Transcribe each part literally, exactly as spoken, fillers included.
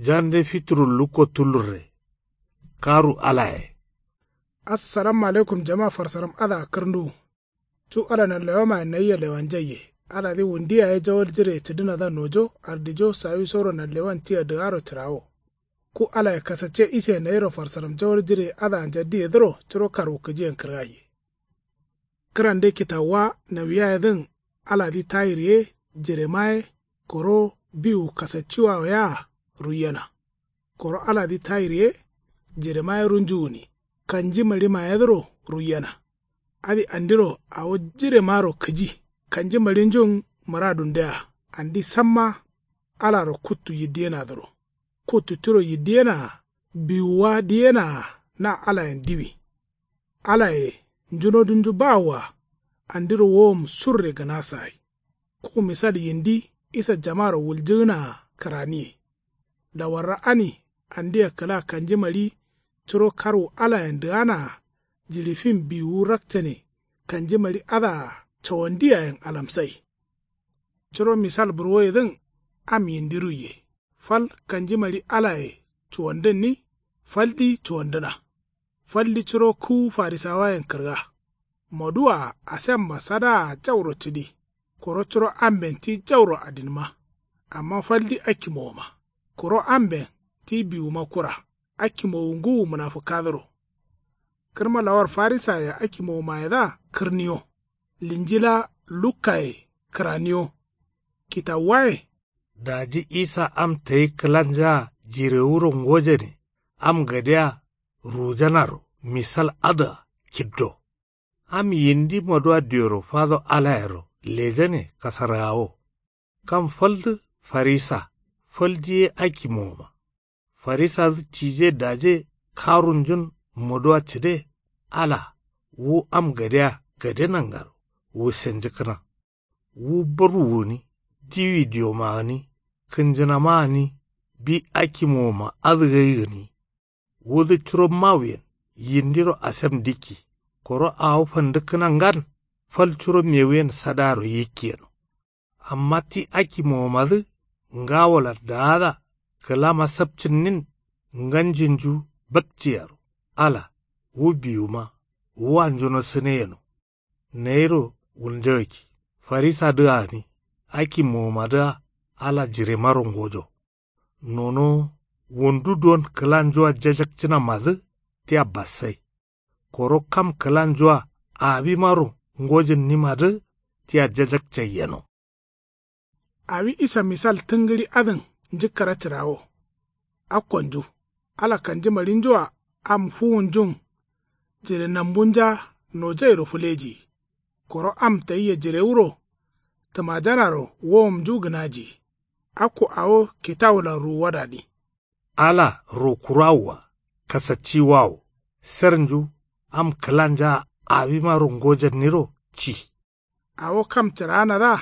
Jande fituru lukko tullurre. Karu alaye. Assalamu alaikum jama farsaram adǝa kǝrnduwu. Cu ala nanlewamaye nayia lewanjaiye. Aladǝ wundu yaye jawal jireye cǝdǝnadǝa nojo ardijo sawisoro nanlewan tia dǝgaro cǝrawo. Ku alaye kasacce ise nayiro farsaram jawal jireye adǝa njaddiyedǝro curo karwukǝjiyen kǝrgaiye. Kǝrande kitawuwa nawiyayedǝn aladǝ tayir ye jirema ye koro biwu kasacciwawo yea ruiyena. Koro aladǝ tayir ye jirema ye runju gǝni kanji maɍimayedǝro ruiyena. Adǝ andiro awo jiremaro kǝji kanji maɍinjun mǝradundea andi samma alaro kuttu yiddiyenadǝro. Kuttu tiro yiddiyenaa biwuwa diyenaa na alayen diwi. Alaye njunodunju bawoa andiro wowom surre gǝnasagai. Ku misal yindi isa jamaro wuljǝgǝnaa kǝraniye. Lawarra ani andia kǝla kanji maɍi curo karwu alayen dǝganaa jiɍi fin biwuwu rakcane kanji maɍi adǝa cawandiyayen alamsai. Curo misal burwoyedǝn am yindi ruiye. Fal kanji maɍi alaye cuwandǝnni. Faldi cuwandǝna. Faldi curo kǝwu farisawayen kǝrga. Moduwaa asemma sadaa jauro cǝdi. Koro curo amben ti jauro adinma. Amma faldi akki mowoma. Koro amben ti biwuma kura. Akki mowu ngǝwu mǝnafǝkkadǝro. Kǝrma lawar farisaye akki mowomayedǝa kǝrniyo. Linjila lukkaye kǝraniyo. Kitawuwaye. Daji isa am tayi kǝlanjaa jirewuro ngojane am gadea ruwujanaro misal adǝa kiddo. Am yindi moduwa dioro fado alayero lejane kasargawo. Kam faldǝ farisa faldi ye akki mowoma. Farisadǝ tije daje karunjun moduwa cǝde. Ala wu am gadea gade nangaro wusenjǝkkǝna. Wu barwu gǝni diwi diwoma gǝni kǝnjǝnama gǝni bi akki mowoma adǝ gai gǝni. Wudǝ curo mawuyen yindiro asem dikki. Koro awo fandǝkkǝna ngan fal curo mewuyen sadaro yikki yeno. Amma ti akki mowomadǝ ngawolan daada kǝlama sapcǝnnin nganjinju bakciyaro. Ala wu biwuma wu anjuno sǝne yeno. Nayiro wulnjagakki farisadǝa gǝni akki mowomadǝa ala jiremaro ngojo. Nonowo wundu duwon kǝlanjua jajakcǝnamadǝ tia bassai. Koro kam kǝlanjua awimaro ngojǝnnimadǝ tia jajakcai yeno. Awi isa misal tǝngǝɍi adǝn njǝkkǝra cǝrawo. Akkonju ala kanji maɍinjua am fuwunjun jire nambunja nojairo fǝlejiyi. Koro am tayia jirewuro tǝmajanaro wowomnju gǝnajiyi. Akko awo kitawulan ruwuwadani. Ala rokurawoa kasacciwawo. Sernju am kǝlanja awimaro ngojanniro ci. Awo kam cǝraanadǝa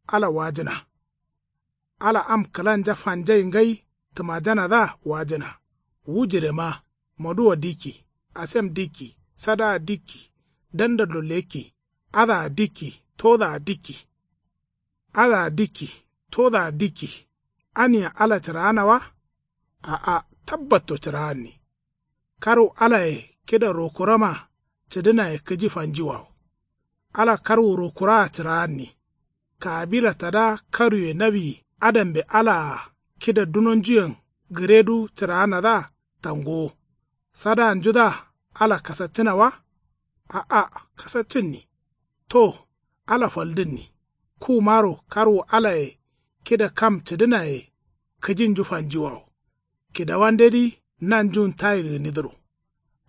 ala wajǝna. Ala am kǝlanja fanjai ngai tǝmajanadǝa wajǝna. Wu jirema moduwa dikki asem dikki sadaa dikki dandallo lekki adǝa dikki todaa dikki. Adǝa dikki todaa dikki. Ania ala cǝraana wa? A'a tabbatto cǝraanni. Karwu alaye kida rokurama cǝdǝnaye kǝji fanjiwawo. Ala karwu rokuraa cǝraanni. Kaabila tada karuye nawi adambe alaa kida dunonjuyen gǝredu cǝraanadǝa tangowo. Sadaanjudǝa ala kasaccǝna wa? A'a kasaccǝnni. To ala faldǝnni. Kumaro karwu alaye kida kam cǝdǝnaye kǝjinju fanjiwawo. Kidawandedǝ nanjun tayir gǝnidǝro.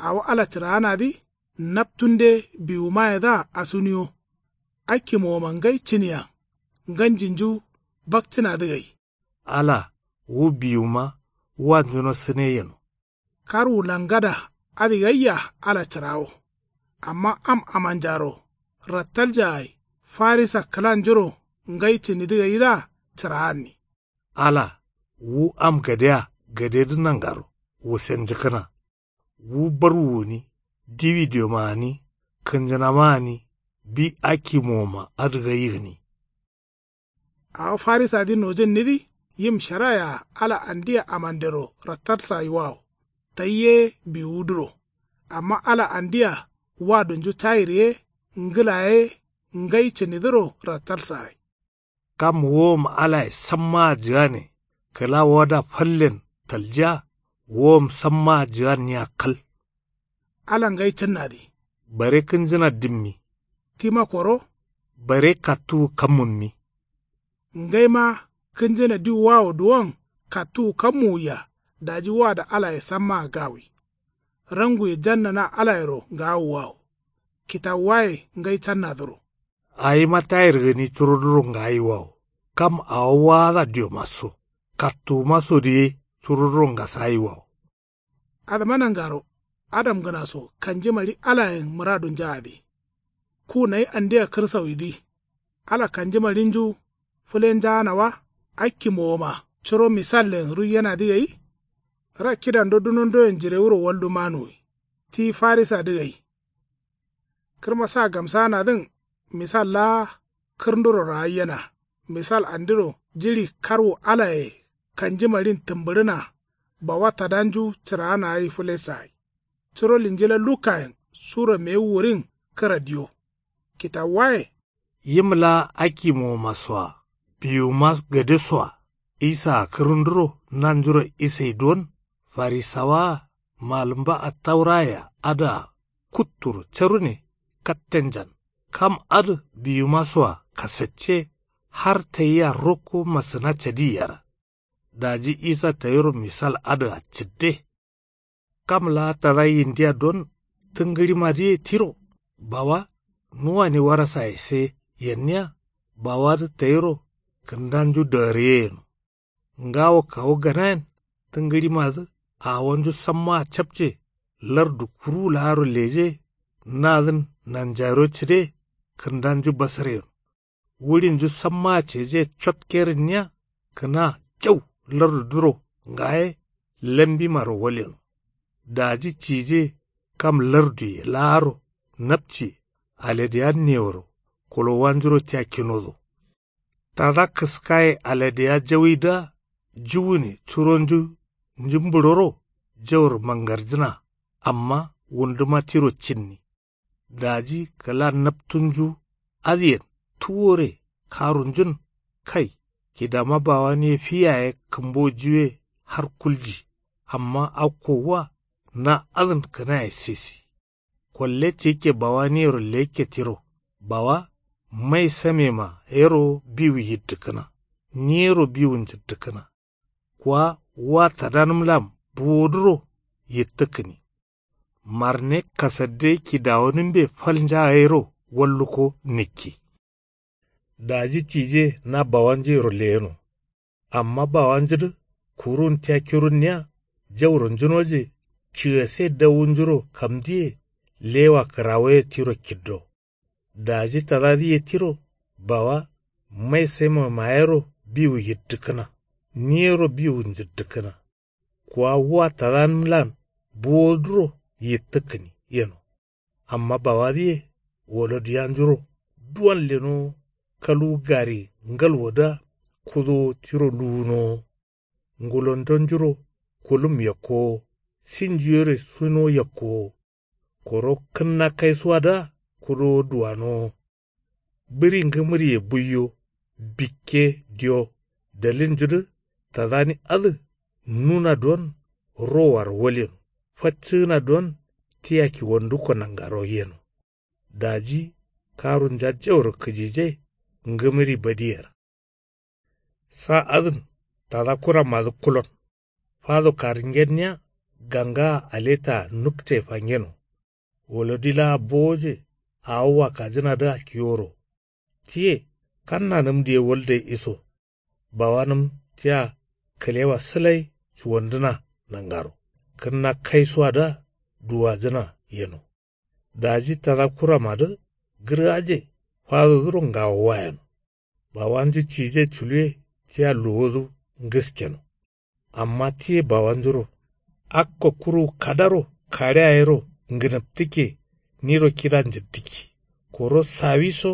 Awo ala cǝraanadǝ naptunde biwumayedǝa asuniyo. Akki mowoman ngai cǝniyan nganjinju bakcǝnadǝ gai. Ala wu biwuma wanjuno sǝne yeno. Karwu langada adǝ gaiya ala cǝrawo. Amma am amanjaro rattaljagai farisa kǝlanjuro ngai cǝnidǝ gaidǝa cǝraanni. Ala wu am gadea gadedǝ nangaro wusenjǝkkǝna. Wu barwu gǝni diwi diwoma gǝni kǝnjǝnama gǝni bi akki mowoma adǝ gai gǝni. Awo farisadǝ nojǝnnidǝ Yim sharaye-a ala andia amandero rattatsayiwawo. Tai ye biwuduro. Amma ala andia wadunju tayir ye ngla ye ngai cǝnidǝro rattatsagai. Kam wowom alaye sammaa jǝgane kǝla wada fallen taljiya. Wowom sammaa jǝganniya kal. Ala ngai cǝnnadǝ. Bare kǝnjǝna dimmi. Tima koro. Bare kattuwu kammunmi. Ngaima kǝnjǝna diwwawo duwon kattuwu kammuwuya. Daji wada alaye sammaa gawi. Ranguye jannana alayero ngawuwawo. Kitawuwaye ngai cannadǝro. Awima tayir gǝni curoduro ngayiwawo. Kam awo waada diomaso kattuwumasodǝ ye curoduro ngasayiwawo. Adǝma nangaro adamgǝnaso kanjimari alayen mǝradunjaadǝ. Ku nayi andia kǝrsawidǝ. Ala kanjimarinju fǝlenjaana wa. Akkimowoma curo misallen ruiyenadǝ gai. Ra kidando dunondoyen jirewuro waldu manuwi. Ti farisadǝ gai. Kǝrma sa gamsaanadǝn misal laa kǝrnduro raayyena. Misal andiro jiɍi karwu alaye kanjimarin tǝmbǝɍǝna. Bawa tadanju cǝraana gai fǝlessagai. Curo linjila lukayen sura mewu wǝɍin kǝra diyo. Kitawuwaye. Yim laa akkimowomasoa biwuma gadesoa isaa kǝrǝnduro nanjuro isai don. Farisawaa malǝmba attaurayea adǝa kutturo carune kattenjan. Kam adǝ biwumasoa kasacce har tayia rokko masǝna cadi yera. Daji isa tayiro misal adǝa cǝdde. Kam laa tada yindiya don tǝngǝɍimadǝye tiro. Bawa nuwani warasaye se yenniya. Bawadǝ tayiro kǝndanju dagariye yeno. Ngawo kawu ganayen tǝngǝɍimadǝ awonju sammaa capce. Lardu kuruwu laaro leje. Nadǝn nanjayiro cǝde kǝndanju basǝre yeno. Wuɍinju sammaa ceje cotkerǝnniya kǝna jau lardudǝro ngaye lambimaro walyeno. Daji cije kam larduye laaro napciye alediya neworo kolowanjuro tia kinodo. Tada kǝskaye alediya jawidǝa juwune curonju njǝmbǝɍoro jauro mangarjǝna. Amma wunduma tiro cinni. Daji kǝla naptunju adǝyen tuwore karunjun. Kai kidama bawan ye fi yaye kǝmbojuwe har kulji. Amma akko wa na adǝn kǝnaye sisi. Kolle cikke bawaniyero lekke tiro. Bawa mai samema yero biwu yiddǝkkǝna. Niyero biwu njǝddǝkkǝna. Kwa wa tadanǝmlan buwoduro yittǝkkǝni. Marne kasadde kidawonǝmbe falnja gairo walluko nǝkki. Daji cije na bawanjuyero leyeno. Amma bawanjudǝ kurun tia kirunniya jauro njunoje cigase dawunjuro kamdiye lewa kǝrawoye tiro kiddo. Daji tadadǝ ye tiro bawa mai saima mayero biwu yiddǝkkǝna. Niyero biwu njǝddǝkkǝna. Kuwa wa tadanǝmlan buwoduro yittǝkkǝni yeno. Amma bawadǝye woloduyanjuro duwan lenowo. Kaluwu gari ngalwodǝa kudowo tiro luwunowo. Ngulondonjuro kulum yakkowo sinjuyere suno yakkowo. Koro kǝnna kaisuwadǝa kudowo duwanowo. Bǝri ngǝmǝriye buiyo bikke diyo dalilnjudǝ tadani adǝ nuna don rowaro walyeno. Faccǝgǝna don tia kiwonduko nangaro yeno. Daji karunja jauro kǝjije ngǝmǝri badiyera. Sa adǝn tada kuramadǝ kulon fado karǝngenniya gangaa aletaa nukte fangeno. Wolodi laa bowoje awo wakajǝnadǝa kiworo. Tiye kannanǝmdǝye walde iso. Bawanǝm tia kǝlewa sǝlai cuwandǝna nangaro kǝnna kaisuwadǝa duwajǝna yeno. Daji tada kuramadǝ gǝrgaje fadodǝro ngawowa yeno. Bawanju cije culuwe tia luwodǝ ngǝskeno. Amma tiye bawanjuro akko kuru kadaro kaɍea yero ngǝnǝptǝkke niro kida njǝttǝkki. Koro sawiso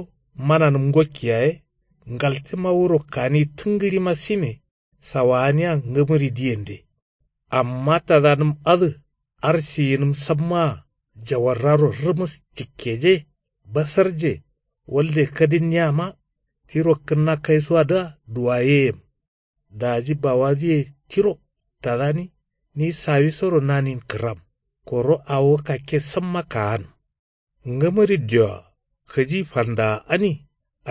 mananǝm ngokki yaye ngaltǝma wuro kani tǝngǝɍima sime. Sawaaniya ngǝmǝridiyende. Amma tadanǝm adǝ arsiyinǝm sammaa jawarraro rǝmǝs cikkeje basarje walde kadǝnniyama tiro kǝnna kaisuwadǝa duwayeyem. Daji bawadǝye tiro tadani ni sawisoro nanin kǝram koro awo kakke samma kaanǝm. Ngǝmǝri dioa kǝji fandaa ani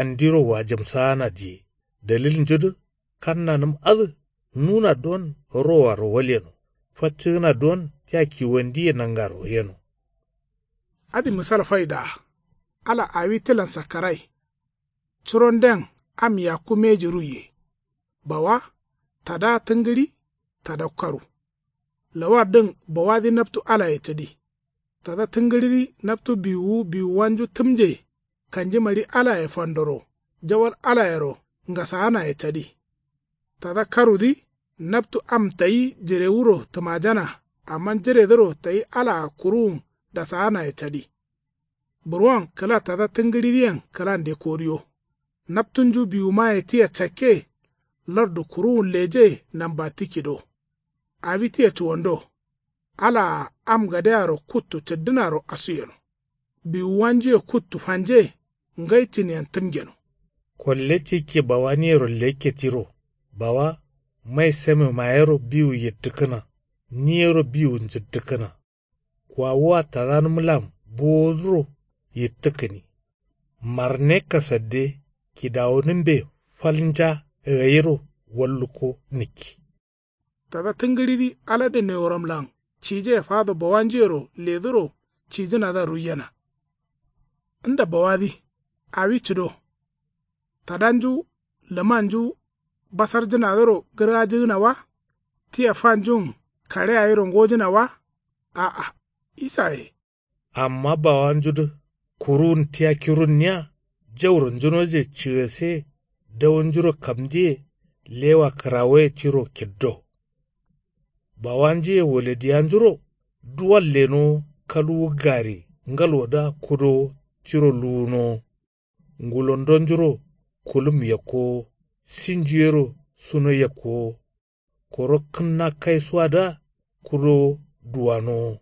andiro wajǝmsaana diye dalilnjudǝ kannanǝm adǝ nuna don rowaro walyeno faccǝgǝna don tia kiwandiye nangaro yeno. Adǝ misal faidaa ala awi tilan sakkarai. Curonden am yakku mbeji ruiye. Bawa tada tǝngǝɍi tada karu. Lawaddǝn bawadǝ naptu alaye cadi. Tada tǝngǝɍidǝ naptu biwuwu biwuwanju tǝmje kanjimari alaye fandoro jawal alayero ngasaanaye cadi. Tada karudǝ naptu am tayi jirewuro tǝmajana amma jiredǝro tayi alaa kuruwun dasaanaye cadi. Burwon kǝla tada tǝngǝɍidǝyen kǝlande koriyo. Naptunju biwumaye tia cakke lardu kuruwun leje namba tikkido. Awi tia cuwando. Alaa am gadearo kuttu cǝddǝnaro asuyeno. Biwuwanjuye kuttu fanje ngai cǝniyen tǝmgeno. Kolle cikke bawaniyero lekke tiro bawa mai same mayero biwu yittǝkkǝna. Niyero biwu njǝttǝkkǝna. Kwawua tadanǝmlan bowoduro yittǝkkǝni. Marne kasadde kidawonǝmbe falnja gayiro wallukko nǝkki. Tada tǝngǝɍidǝ alade neworamlan cije fado bawanjuyero ledǝro cijǝnadǝa ruiyena. Nda bawadǝ awi cǝdo. Tadanju lǝmanju basarjǝnadǝro gǝrgajǝgǝna wa? Tia fanjun kare gayiro ngojǝna wa? A'a. Isaye. Amma bawanjudǝ kuruwun tia kirunniya jauronjunoje cǝgase dawonjuro kamdiye lewa kǝrawoye tiro kiddo. Bawanjuye waladiyanjuro duwal lenowo kalwu gari ngalwodǝa kudowo tiro luwunowo. Ngulondonjuro kulum yakkowo sinjuyero suno yakkowo. Koro kǝnna kaisuwadǝa kudowo duwanowo.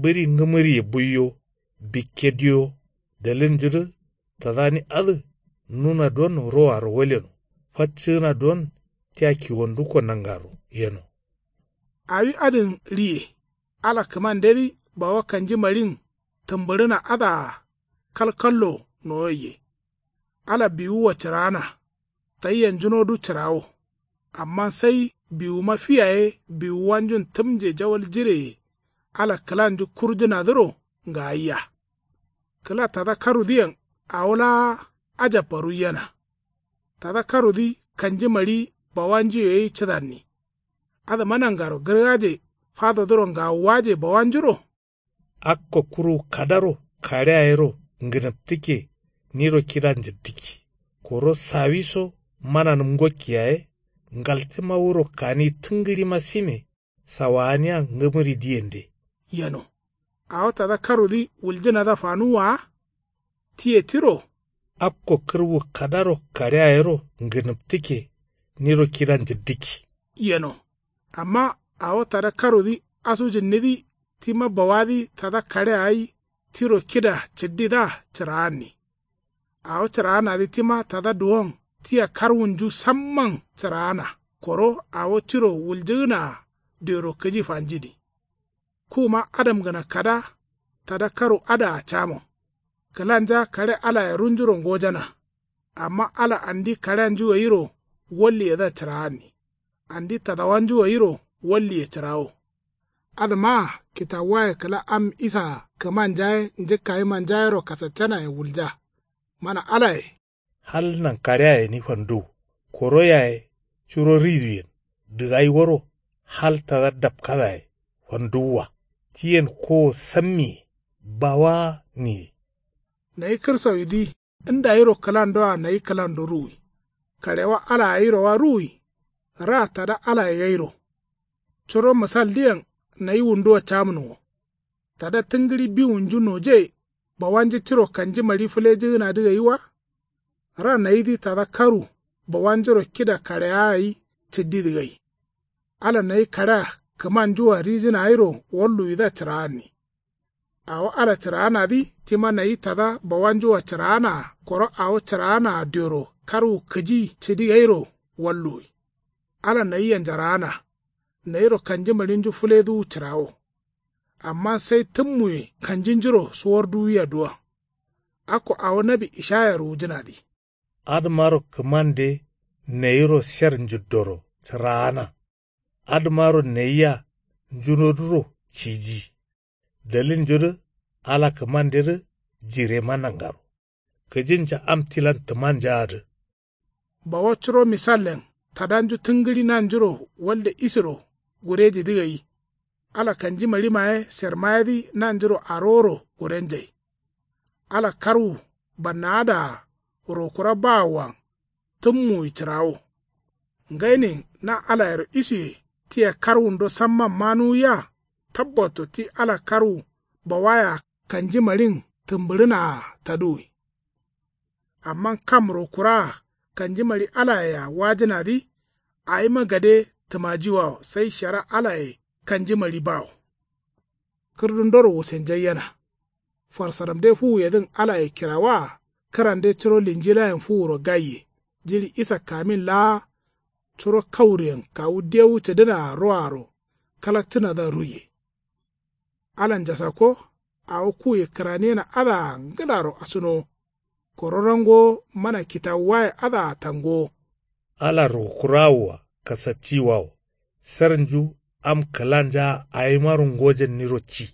Bǝɍi ngǝmǝriye buiyo bikke diyo dalilnjudǝ tadani adǝ nuna don rowaro waleno faccǝgǝna don tia kiwandukko nangaro yeno. Awi adǝn riye ala kǝmandedǝ bawa kanjimaɍin tǝmbǝɍǝna adǝa kalkallo nowoiye. Ala biwuwa cǝraana. Tayia njunodu cǝrawo. Amma sai biwuma fi yaye biwuwanjun tǝmje jawal jireye ala kǝlanju kurjǝnadǝro ngayia. Kǝla tada karudǝyen awo laa ajabba ruiyena. Tada karudǝ kanjimaɍi bawanjuye gai cǝdanni. Adǝma nangaro gǝrgaje fadodǝro ngawuwaje bawanjuro. Akko kuruwu kadaro kare gayiro ngǝnǝptǝkke niro kida njǝddǝkki. Koro sawiso mananǝm ngokki yaye ngaltǝma wuro kani tǝngǝɍima sime sawaaniya ngǝmǝridǝyende. Yeno. Awo tada karudǝ wuljǝnadǝa fanuwwa wa? Tiye tiro. Akko kǝrwu kadaro kare gayiro ngǝnǝptǝkke niro kida njǝddǝkki. Yeno. Amma awo tada karudǝ asujǝnnidǝ tima bawadǝ tada kare gai tiro kida cǝddidǝa cǝraanni. Awo cǝraanadǝ tima tada duwon tia karwunju samman cǝraana koro awo tiro wuljǝgǝnaa dero kǝji fanjini. Kuma adamgǝna kada tada karu adǝa camo. Kǝlanja kare alaye runjuro ngojana. Amma ala andi karenju gairo walliyedǝa cǝraanni. Andi tadawanju gairo walliye cǝrawo. Adǝmaa kitawuwaye kǝla am isaa kǝmanja ye njǝkkayimanja yero kasaccanayen wulja. Mana alaye. Hal nankareya gǝni fanduw koro yaye curo riduyen dǝgai woro hal tada dapkadaye fanduwwa. Tiyen kowo sammiye bawa niye. Nayi kǝrsawidǝ ndayiro kǝlandoa nayi kǝlando ruwi. Karewa alaa gairowa ruwi. Ra tada alaye gairo. Curo mǝsaldǝyen nayi wunduwa camǝnǝwo. Tada tǝngǝɍi biwunju noje bawanju tiro kanjimari fǝlejǝgǝnadǝ gai wa? Ra nayidǝ tada karu bawanjuro kida kareya gai cǝddidǝ gai. Ala nayi kaɍea kǝmanjua rijǝna gairo walluwidǝa cǝraanni. Awo ala cǝraanadǝ tima nayi tada bawanjua cǝraanaa koro awo cǝraanaa dioro karwu kǝji cǝdi gairo walluwi. Ala nayia njaraana. Nayiro kanjimaɍinju fǝleduwu cǝrawo. Amma sai tǝmmuye kanjinjuro suwarduwia duwa. Akko awo nawi ishaya ruwujǝnadǝ. Adǝmaro kǝmande nayiro sher njuddoro cǝraana. Adǝmaro nayia njunodǝro ciji. Dalilnjudǝ ala kǝmandedǝ jirema nangaro. Kǝjinja am tilan tǝmanjaadǝ. Bawa curo misallen tadanju tǝngǝɍi nanjuro walde isiro gurejidǝ gai. Ala kanjimaɍimaye sermayedǝ nanjuro aroworo gurenjai. Ala karwu bannaadaa rokura bawoan tǝmmuwi cǝrawo. Ngainin na alayero isuye tia karwundo samman manuwiya. Tabbatto ti ala karwu bawaya kanjimaɍin tǝmbǝɍǝnaa taduwi. Amma kam rokuraa kanjimaɍi alayea wajǝnadǝ. Awima gade tǝmajiwawo sai shara alaye kanjimaɍi bawo. Kǝrdundoro wusenjaiyena. Farsaramde fuwuyedǝn alaye kirawaa kǝrande curo linjilayen fuwuro gaiye jiɍi isa kamin laa. Curo kauriyen kawu dewu cǝdǝnaa roaro kalakcǝnadǝa ruiye. Ala njasakko awo kuye kǝraniyena adǝa ngǝlaro asunowo. Koro nangowo mana kitawuwaye adǝa tangowo. Ala rokurawoa kasattiwawo. Sernju am kǝlanjaa awimaro ngojanniro ci.